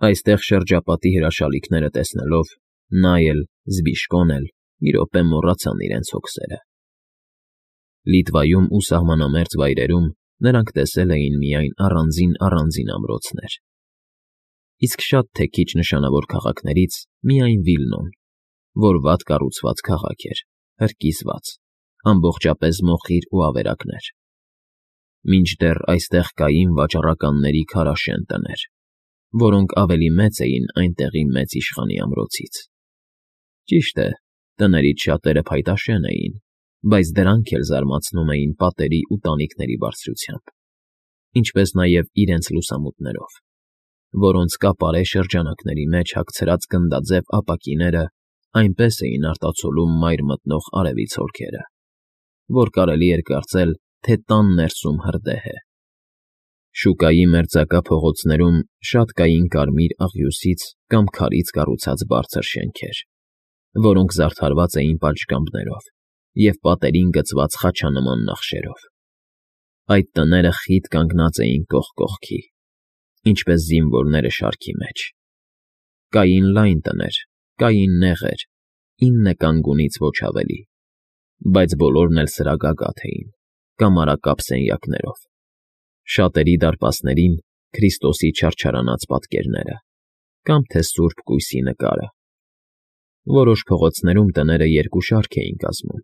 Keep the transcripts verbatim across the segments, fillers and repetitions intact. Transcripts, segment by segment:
Այստեղ շրջապատի հրաշալիքները տեսնելով նա էլ, Զբիշկոն էլ մի րոպե մոռացան իրենց հոգսերը. Լիտվայում ու սահմանամերձ վայրերում նրանք տեսել էին միայն առանձին֊առանձին ամրոցներ, իսկ շատ թե քիչ նշանավոր քաղաքներից միայն Վիլնոն, որ վատ կառուցված քաղաք էր, հրկիզված, ամբողջապես մոխիր ու ավերակներ, մինչդեռ այստեղ կային վաճառականների քարաշեն տներ, որոնք ավելի մեծ էին այնտեղի մեծ իշխանի ամրոցից։ Ճիշտ է, տներից շատերը փայտաշեն էին, բայց դրանք էլ զարմացնում էին պատերի ու տանիքների բարձրությամբ, ինչպես նաև իրենց լուսամուտներով, որոնց կապարե շրջանակների մեջ հագցրած գնդաձև ապակիները այնպես էին արտացոլում մայր մտնող արևի ցորքերը, որ կարելի էր կարծել, թե տան ներսում հրդեհ է։ Շուկայի մերձակա փողոցներում շատ կային կարմիր աղյուսից կամ քարից կառուցած բարձր շենքեր, որոնք զարդարված էին պատշգամբներով և պատերին գծված խաչանման նախշերով։ Այդ տները խիտ կանգնած էին կողք կողքի, ինչպես զինվորները շարքի մեջ։ Կային լայն տներ, կային նեղեր, ինը կանգունից ոչ ավելի, բայց բոլորն էլ սրագագաթ էին, կամարակապ սենյակներով, շատերի դարպասներին Քրիստոսի չարչարանած պատկերները, կամ թե սուրբ կույսի նկարը։ Որոշ փողոցներում տները երկու շարք էին կազմում,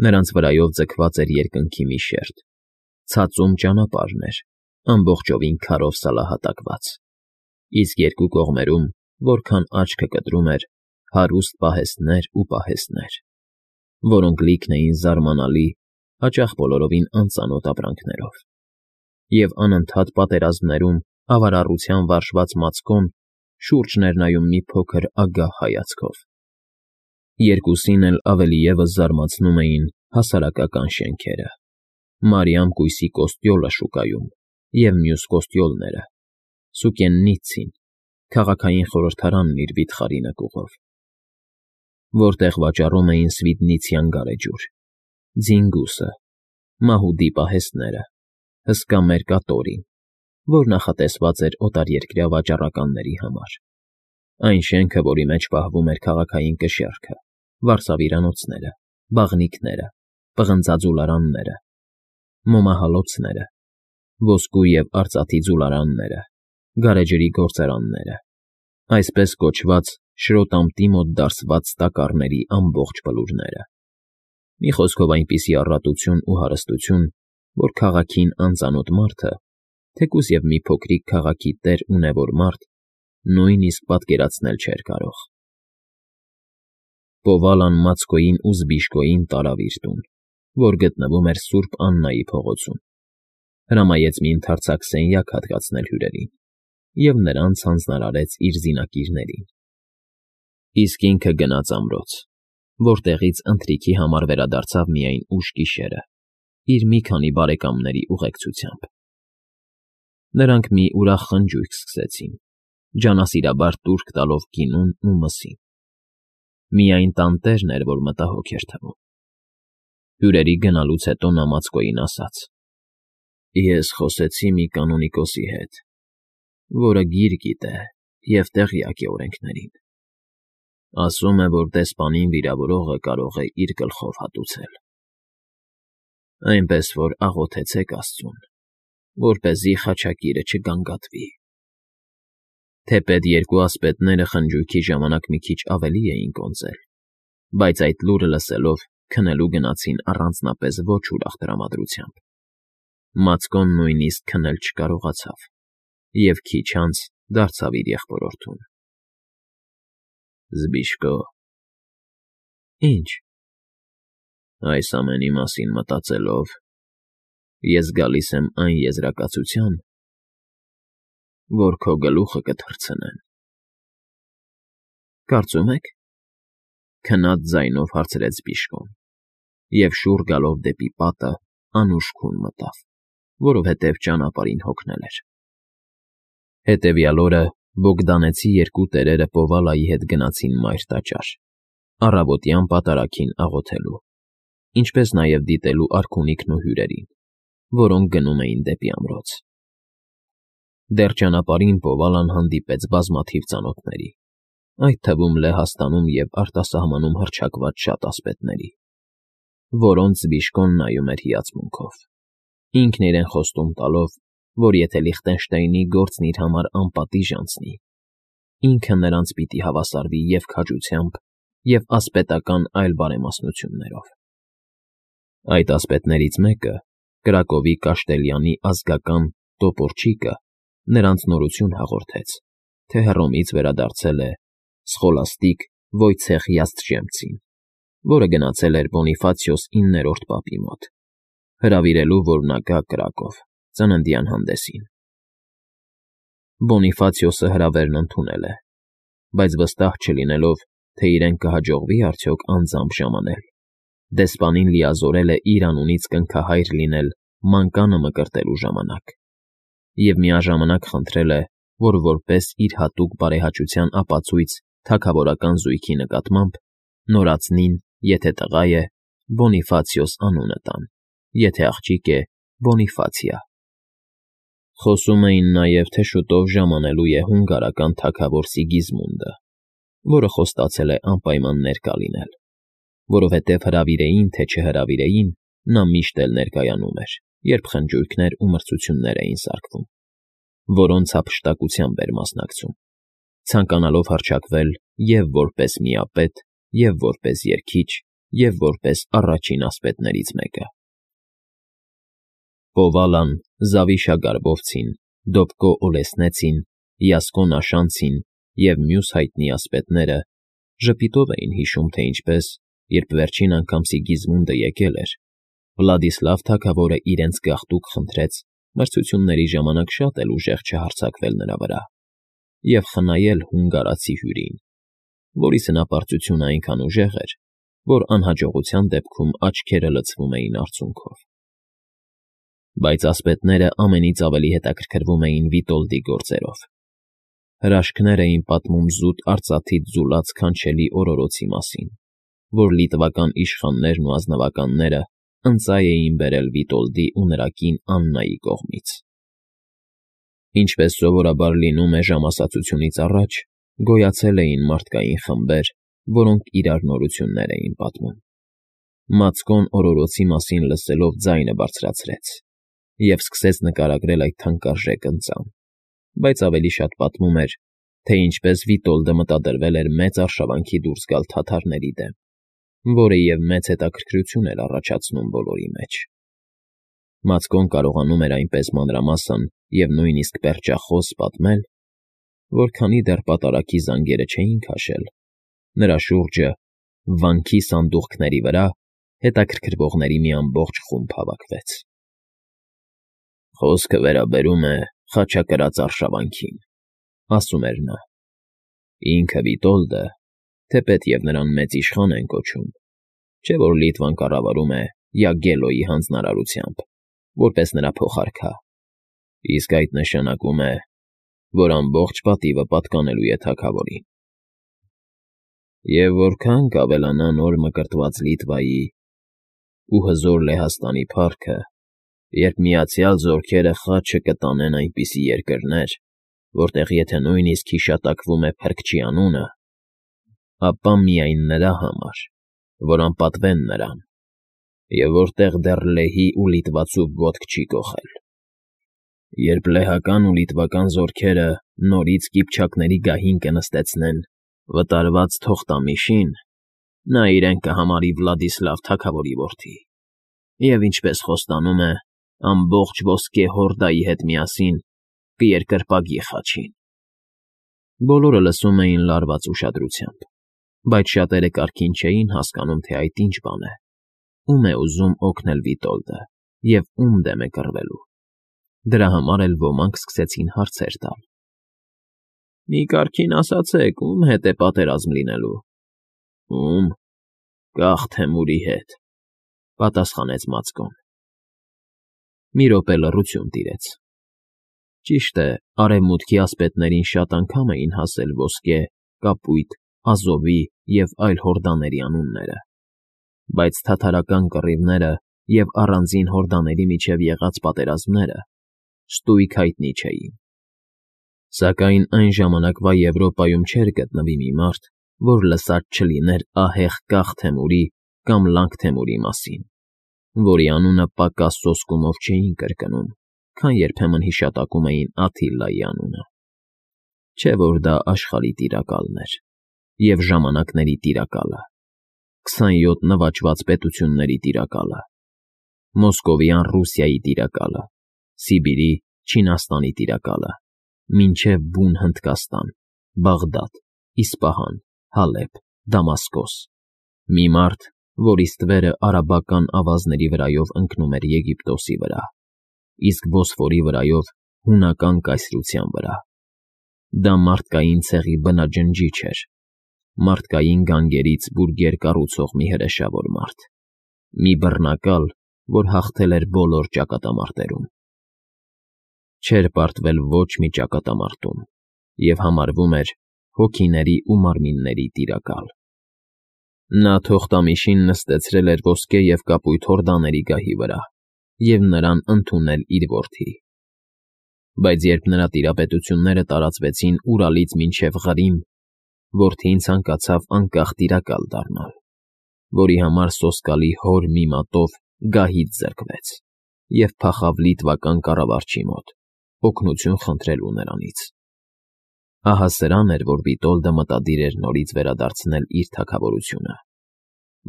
նրանց վրայով ձգված էր երկնքի մի շերտ, ցածում ճանապարհն էր, ամբողջովին քարով սալահատակված, իսկ երկու կողմերում, որքան աչքը կտրում էր, հարուստ պահեստներ ու պահեստներ, որոնք լիքն էին զարմանալի, հաճախ բոլորովին անծանոթ ապրանքներով, և անընդհատ պատերազմներում ավարառության վարժված Մացկոն շուրջն էր նայում մի փոքր ագահ հայացքով։ Երկուսին էլ ավելի ևս զարմացնում էին հասարակական շենքերը, Մարիամ կույսի կոստյոլը շուկայում և մյուս կոստյոլները, Սուկեննիցին, քաղաքային խորհրդարանն իր վիթխարի նկուղով, որտեղ վաճառում էին Սվիդնիցյան գարեջուր, ձինգուսը, մահուդի պահեստները, հսկա մերկատորին, որ նախատեսված էր օտարերկրյա վաճառականների համար, այն շենքը, որի մեջ պահվում էր քաղաքային կշեռքը, վարսավիրանոցները, բաղնիքները, պղնձա ձուլարանները, մոմահալոցները, ոսկու և արծաթի ձուլարանները, գարեջրի գործարանները, այսպես կոչված շրոտամտի մոտ դարսված տակառների ամբողջ բլուրները։ Մի խոսքով այնպիսի առատություն ու հարստություն, որ քաղաքին անծանոթ մարդը, թեկուզ և մի փոքրիկ քաղաքի տեր ունևոր մարդ, նույնիսկ պատկերացնել չէր կարող։ Պովալան Մացկոյին ու Զբիշկոյին տարավ իր տուն, որ գտնվում էր Սուրբ Աննայի փողոցում, հրամայեց մի ընդարձակ սենյակ հատկացնել հյուրերին և նրանց հանձնարարեց իր զինակիրներին, իսկ ինքը գնաց ամրոց, որտեղից ընթրիքի համար վերադարձավ միայն ուշ գիշերը, իր մի քանի բարեկամների ուղեկցությամբ։ Նրանք մի ուրախ խնջույք սկսեցին, ջանասիրաբար տուրք տալով գինուն ու մսին։ Միայն տանտերն էր, որ մտահոգ էր թվում։ Հյուրերի գնալուց հետո նա Մացկոյին ասաց. «Ես խոսեցի մի կանոնիկոսի հետ, որը գիր գիտե և տեղյակ է օրենքներին. ասում է, որ դեսպանին վիրավորողը կարող է իր գլխով հատուցել, այնպես որ աղոթեցեք աստծուն, որպեսզի խաչակիրը չգանգատվի»։ Թեպետ երկու ասպետները խնջույքի ժամանակ մի քիչ ավելի էին կոնծել, բայց այդ լուրը լսելով քնելու գնացին առանձնապես ոչ ուրախ տրամադրությամբ։ Մացկոն նույնիսկ քնել չկարողացավ և քիչ անց դարձավ իր եղբորորդուն. «Զբիշկո»։ «Ի՞նչ»։ «Այս ամենի մասին մտածելով, ես գալիս եմ այն եզրակացության, որ քո գլուխը կթռցնեն»։ «Կարծում եք»։ Քնած ձայնով հարցրեց Զբիշկոն և, շուռ գալով դեպի պատը, անուշ քուն մտավ, որովհետև ճանապարհին հոգնել էր։ Հետևյալ օրը Բոգդանեցի երկու տերերը Պովալայի հետ գնացին մայր տաճար, առավոտյան պատարագին աղոթելու, ինչպես նաև դիտելու արքունիքն ու հյուրերին, որոնք գնում էին դեպի ամրոց։ Դեռ ճանապարհին Պովալան հանդիպեց բազմաթիվ ծանոթների, այդ թվում Լեհաստանում և արտասահմանում հռչակված շատ ասպետների, որոնց Բիշկոն նայում էր հիացմունքով, ինքն իրեն խոստում տալով, որ եթե Լիխտենշտեյնի գործն իր համար անպատիժ անցնի, ինքը նրանց պիտի հավասարվի և քաջությամբ, և ասպետական այլ բարեմասնություններով։ Այդ ասպետներից մեկը, Կրակովի Կաշտելյանի ազգական Տոպորչիկը, նրանց նորություն հաղորդեց, թե Հռոմից վերադարձել է Սխոլաստիկ Վոյցեխ Յաստրժեմցին, որը գնացել էր Բոնիֆացիոս իններորդ պապի մոտ, հրավիրելու, որ նա գա Կրակով ծննդյան հանդեսին։ Բոնիֆացիոսը հրավերն ընդունել է, բայց վստահ չլինելով, թե իրեն կհաջողվի արդյոք անձամբ ժամանել, դեսպանին լիազորել է իր անունից կնքահայր լինել մանկանը մկրտելու ժամանակ և միաժամանակ խնդրել է, որ որպես իր հատուկ բարեհաճության ապացույց թագավորական զույգի նկատմամբ նորածնին, եթե տղա է, Բոնիֆացիոս անունը տան, եթե աղջիկ է, Բոնիֆացիա։ Խոսում էին նաև, թե շուտով ժամանելու է հունգարական թագավոր Սիգիզմունդը, որը խոստացել է անպայման ներկա լինել, որովհետև հրավիրեին, թե չհրավիրեին, նա միշտ էլ ներկայանում էր, երբ խնջույքներ ու մրցություններ էին սարքվում, որոնց հափշտակությամբ էր մասնակցում, ցանկանալով հռչակվել և՛ որպես միապետ, և՛ որպես երգիչ, և՛ որպես առաջին ասպետներից մեկը։ Պովալան, Զավիշա Գարբովցին, Դոբկո Օլեսնեցին, Յասկո Նաշանցին և մյուս հայտնի ասպետները ժպիտով էին հիշում, թե ինչպես, երբ վերջին անգամ Սիգիզմունդը եկել էր, Վլադիսլավ թագավորը իրենց գաղտուկ խնդրեց մրցությունների ժամանակ շատ էլ ուժեղ չհարձակվել նրա վրա և խնայել հունգարացի հյուրին, որի սնապարծությունը այնքան ուժեղ էր, որ անհաջողության դեպքում աչքերը լցվում էին արցունքով։ Բայց ասպետները ամենից ավելի հետաքրքրվում էին Վիտոլդի գործերով։ Հրաշքներ էին պատմում զուտ արծաթից ձուլած քանչելի օրորոցի մասին, որ լիտվական իշխաններն ու ազնվականները ընծայ էին բերել Վիտոլդի ու նրա կին Աննայի կողմից։ Ինչպես սովորաբար լինում է ժամասացությունից առաջ, գոյացել էին մարդկային խմբեր, որոնք իրար նորություններ էին պատմում։ Մացկոն օրորոցի մասին լսելով ձայնը բարձրացրեց և սկսեց նկարագրել այդ թանկարժեք ընծան, բայց ավելի շատ պատմում էր, թե ինչպես Վիտոլդը մտադրվել էր մեծ արշավանքի դուրս գալ թաթարների դեմ, որը և մեծ հետաքրքրություն էր առաջացնում բոլորի մեջ։ Մացկոն կարողանում էր այնպես մանրամասն և նույնիսկ պերճախոս պատմել, որ քանի դեռ պատարագի զանգերը չէին քաշել, նրա շուրջը, վանքի սանդուղքների վրա, հետաքրքրվողների մի ամբողջ խումբ հավաքվեց։ «Խոսքը վերաբերում է խաչակրաց արշավանքին,֊ ասում էր նա,֊ ինքը Վիտոլդը, թեպետ և նրան մեծ իշխան են կոչում, չէ՞ որ Լիտվան կառավարում է Յագելոյի հանձնարարությամբ, որպես նրա փոխարքա, իսկ այդ նշանակում է, որ ամբողջ պատիվը պատկանելու է թագավորին։ Եվ որքան կավելանա նոր մկրտված Լիտվայի ու հզոր Լեհաստանի փառքը, երբ Միացյալ Զորքերը խաչը կտանեն այնպիսի երկրներ, որտեղ եթե նույնիսկ հիշատակվում է Փրկչի անունը, ապա միայն նրա համար, որ անպատվեն նրան, և որտեղ դեռ լեհի ու լիտվացու ոտք չի կոխել։ Երբ լեհական ու լիտվական զորքերը նորից կիփչակների գահին կնստեցնեն վտարված Թոխտամիշին, նա իրեն կհամարի Վլադիսլավ թագավորի որդի և, ինչպես խոստանում է, ամբողջ ոսկե հորդայի հետ միասին կերկրպագի խաչին»։ Բոլորը լսում էին լարված ուշադրությամբ, բայց շատերը կարգին չէին հասկանում, թե այդ ինչ բան է, ում է ուզում օգնել Վիտոլդը և ում դեմ է կռվելու։ Դրա համար էլ ոմանք սկսեցին հարցեր տալ. «Մի կարգին ասացեք, ո՞ւմ հետ է պատերազմ լինելու»։ «Ո՞ւմ, կախ Թեմուրի հետ,֊ պատասխանեց Մացկոն։ Մի րոպե լռություն տիրեց։ Ճիշտ է, արևմուտքի ասպետներին շատ անգամ էին հասել Ոսկե, Կապույտ, Ազովի և այլ հորդաների անունները, բայց թաթարական կռիվները և առանձին հորդաների միջև եղած պատերազմները ստույգ հայտնի չէին։ Սակայն այն ժամանակվա Եվրոպայում չէր գտնվի մի մարդ, որ լսած չլիներ ահեղ կախ Թեմուրի կամ լանք Թեմուրի մասին, որի անունը պակաս սոսկումով չէին կրկնում, քան երբեմն հիշատակում էին Աթիլայի անունը։ Չէ՞ որ դա աշխարհի տիրակալն էր և ժամանակների տիրակալը, քսանյոթ նվաճված պետությունների տիրակալը, Մոսկովյան Ռուսիայի տիրակալը, Սիբիրի, Չինաստանի տիրակալը, մինչև բուն Հնդկաստան, Բաղդադ, Իսպահան, Հալեբ, Դամասկոս, մի մարդ, որի ստվերը արաբական ավազների վրայով ընկնում էր Եգիպտոսի վրա, իսկ Բոսֆորի վրայով հունական կայսրության վրա։ Դա մարդկային ցեղի բնաջնջիչ էր, մարդկային գանգերից բուրգեր կառուցող մի հրեշավոր մարդ, մի բռնակալ, որ հաղթել էր բոլոր ճակատամարտերում։ Չէր պարտվել ոչ մի ճակատամարտում և համարվում էր հոգիների ու մարմինների տիրակալ։ Նա թողտամիշին նստեցրել էր ոսկե և կապույտ հորդաների գահի վրա և նրան ընդունել իր որդի։ Բայց երբ նրա տիրապետությունները տարածվեցինՈւրալից մինչև Ղրիմ, որդին ցանկացավ անկախ տիրակալ դառնալ, որի համար սոսկալի հոր մի մատով գահից զրկվեց և փախավ լիտվական կառավարչի մոտ, օգնություն խնդրելու նրանից։ Ահա սրան էր, որ Վիտոլդը մտադիր էր նորից վերադարձնել իր թագավորությունը,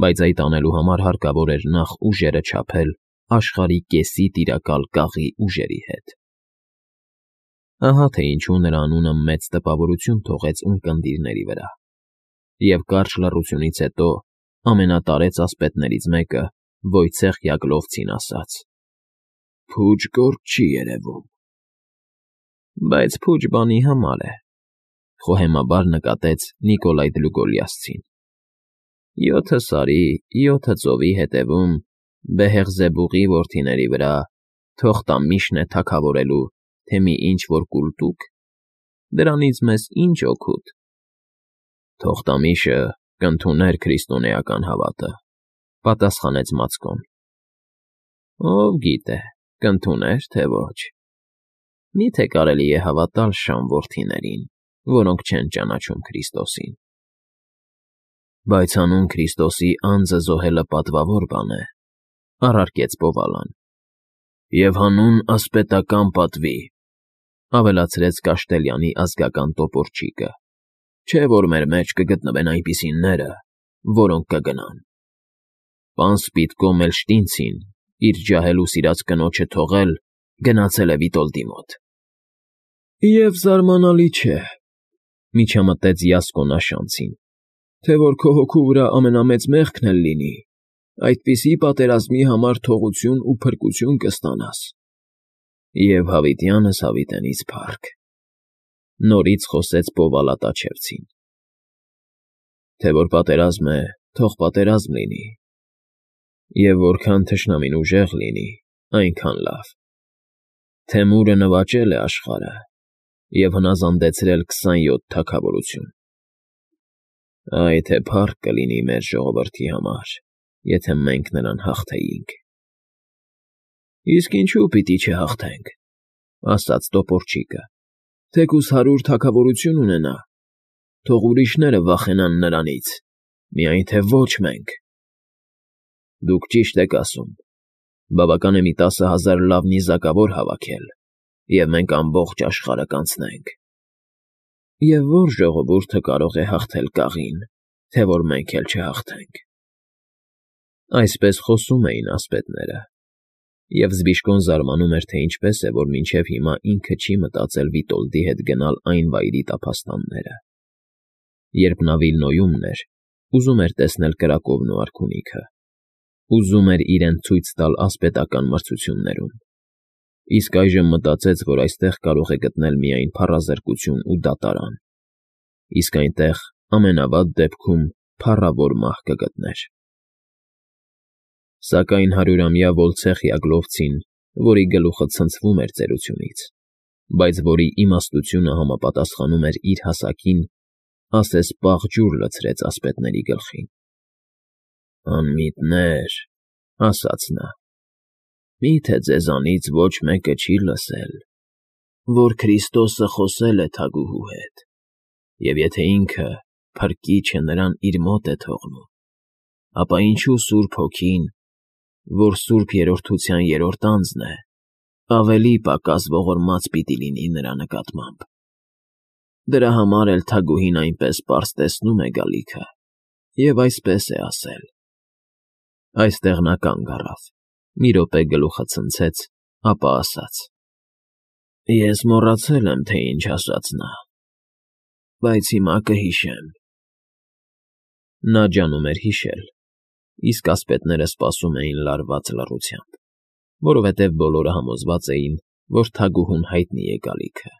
բայց այդ անելու համար հարկավոր էր նախ ուժերը չափել աշխարհի կեսի տիրակալ կաղի ուժերի հետ։ Ահա թե ինչու նրա անունը մեծ տպավորություն թողեց ունկնդիրների վրա, և կարճ լռությունից հետո ամենատարեց ասպետներից մեկը Վոյցեխ Յագլովցին ասաց. «Փուջ գործ չի երևում»։ Բայց փուջ բանի համար է, խոհեմաբար նկատեց Նիկոլայ Դլուգոլիասցին։ Յոթը սարի, յոթը ծովի հետևում Բեհեղզեբուղի որդիների վրա թոխտամիշն է թագավորելու, թե մի ինչ֊որ կուլտուկ, դրանից մեզ ինչ օգուտ։ Թոխտամիշը կընդուներ քրիստոնեական հավատը, պատասխանեց Մացկոն։ Ով գիտե, կընդուներ, թե ոչ։ Մի՞թե կարելի է հավատալ շան որդիներին, որոնք չեն ճանաչում Քրիստոսին։ Բայց հանուն Քրիստոսի անձը զոհելը պատվավոր բան է, առարկեց Պովալան։ Եվ հանուն ասպետական պատվի, ավելացրեց Կաշտելյանի ազգական տոպորչիկը, չէ՞ որ մեր մեջ կգտնվեն այնպիսիները, որոնք կգնան։ Պան Սպիտկո Մելշտինցին, իր ջահել ու սիրած կնոջը թողել, գնացել է Վիտոլդի մոտ։ Եվ զարմանալի չէ, միջամտեց Յասկոն Աշանցին, թե որ քո հոգու վրա ամենամեծ մեղքն էլ լինի, այդպիսի պատերազմի համար թողություն ու փրկություն կստանաս։ Եվ հավիտյանս հավիտենից փառք, նորից խոսեց Պովալատաչևցին։ Թե որ պատերազմ է, թող պատերազմ լինի, և որքան թշնամին ուժեղ լինի, այնքան լավ։ Թեմուրը նվաճել է աշխարհը և հնազանդեցրել քսանյոթ թագավորություն։ Այ թե փառք կլինի մեր ժողովրդի համար, եթե մենք նրան հաղթեինք։ Իսկ ինչու պիտի չհաղթենք, ասաց տոպորչիկը, թեկուզ հարյուր թագավորություն ունենա, թող ուրիշները վախենան նրանից, միայն թե ոչ մենք։ Դուք ճիշտ եք ասում, բավական է մի տասը հազար լավ նիզակավոր հավաքել, և մենք ամբողջ աշխարհը կանցնենք։ Եվ ո՞ր ժողովուրդը կարող է հաղթել կաղին, թե որ մենք էլ չհաղթենք։ Այսպես խոսում էին ասպետները, և Զբիշկոն զարմանում էր, թե ինչպես է, որ մինչև հիմա ինքը չի մտածել Վիտոլդի հետ գնալ այն վայրի տափաստանները։ Երբ նա Վիլնոյումն էր, ուզում էր տեսնել կրակովն ու արքունիքը, ուզում էր իրեն ցույց տալ ասպետական մրցություններում, իսկ այժմ մտածեց, որ այստեղ կարող է գտնել միայն փառազրկություն ու դատարան, իսկ այնտեղ ամենավատ դեպքում փառավոր մահ կգտներ։ Սակայն հարյուրամյա Վոլցեխ Յագլովցին, որի գլուխը ցնցվում էր ծերությունից, բայց որի իմաստությունը համապատասխանում էր իր հասակին, ասես պաղ ջուր լցրեց ասպետների գլխին։ Անմիտներ, ասաց նա, մի՞թե ձեզանից ոչ մեկը չի լսել, որ Քրիստոսը խոսել է թագուհու հետ, և եթե ինքը, Փրկիչը, նրան իր մոտ է թողնում, ապա ինչու Սուրբ Հոգին, որ Սուրբ Երրորդության երրորդ անձն է, ավելի պակաս ողորմած պիտի լինի նրա նկատմամբ։ Դրա համար էլ թագուհին այնպես պարզ տեսնում է գալիքը և այսպես է ասել։ Այստեղ նա կանգ առավ, մի րոպե գլուխը ցնցեց, ապա ասաց. «Ես մոռացել եմ, թե ինչ ասաց նա, բայց հիմա կհիշեմ»։ Նա ջանում էր հիշել, իսկ ասպետները սպասում էին լարված լռությամբ, որովհետև բոլորը համոզված էին, որ թագուհուն հայտնի է գալիքը։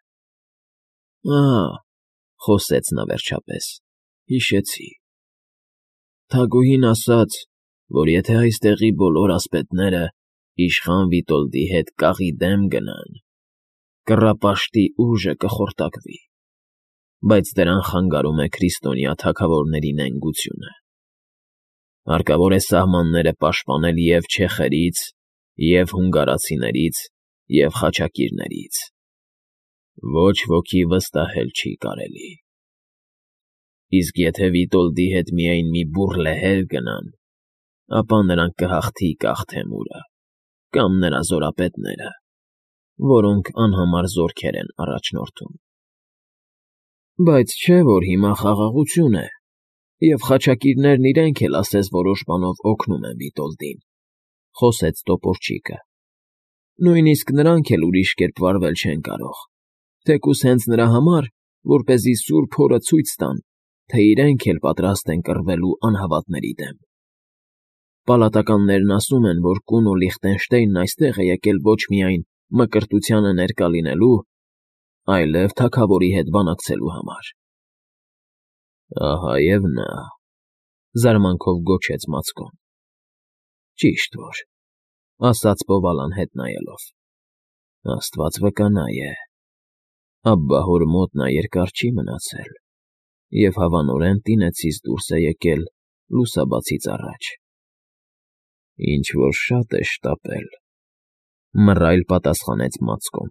«Ա՜, ֊ խոսեց նա վերջապես, ֊ հիշեցի. թագուհին ասաց, որ եթե այստեղի բոլոր ասպետները իշխան Վիտոլդի հետ կաղի դեմ գնան, կռապաշտի ուժը կխորտակվի, բայց դրան խանգարում է քրիստոնյա թագավորների նենգությունը. հարկավոր է սահմանները պաշտպանել և չեխերից, և հունգարացիներից, և խաչակիրներից. ոչ ոքի վստահել չի կարելի։ Իսկ եթե Վիտոլդի հետ միայն մի բուռ լեհեր գնան, ապա նրանք կհաղթի Կաղթեմուրը կամ նրա զորապետները, որոնք անհամար զորքեր են առաջնորդում։ Բայց չէ՞ որ հիմա խաղաղություն է, և խաչակիրներն իրենք էլ ասես որոշ բանով օգնում են Վիտոլդին, ֊ խոսեց տոպորչիկը։ Նույնիսկ նրանք էլ ուրիշ կերպ վարվել չեն կարող, թեկուզ հենց նրա համար, որպեսզի սուրբ հորը ցույց տան, թե իրենք էլ պատրաստ են կռվելու անհավատների դեմ։ Պալատականներն ասում են, որ կունո Լիխտենշտեյնն այստեղ է եկել ոչ միայն մկրտությանը ներկա լինելու, այլև թագավորի հետ բանակցելու համար։ ֊ Ահա և նա, ֊ զարմանքով գոչեց Մացկոն։ ֊ Ճիշտ որ, ֊ ասաց Բովալան հետ նայելով։ ֊ Աստված վկա է, Աբբահոր մոտ նա երկար չի մնացել և հավանորեն տինեցից դուրս է եկել լուսաբացից առաջ։ ֊ Ինչ֊որ շատ է շտապել, ֊ մռայլ պատասխանեց Մացկոն։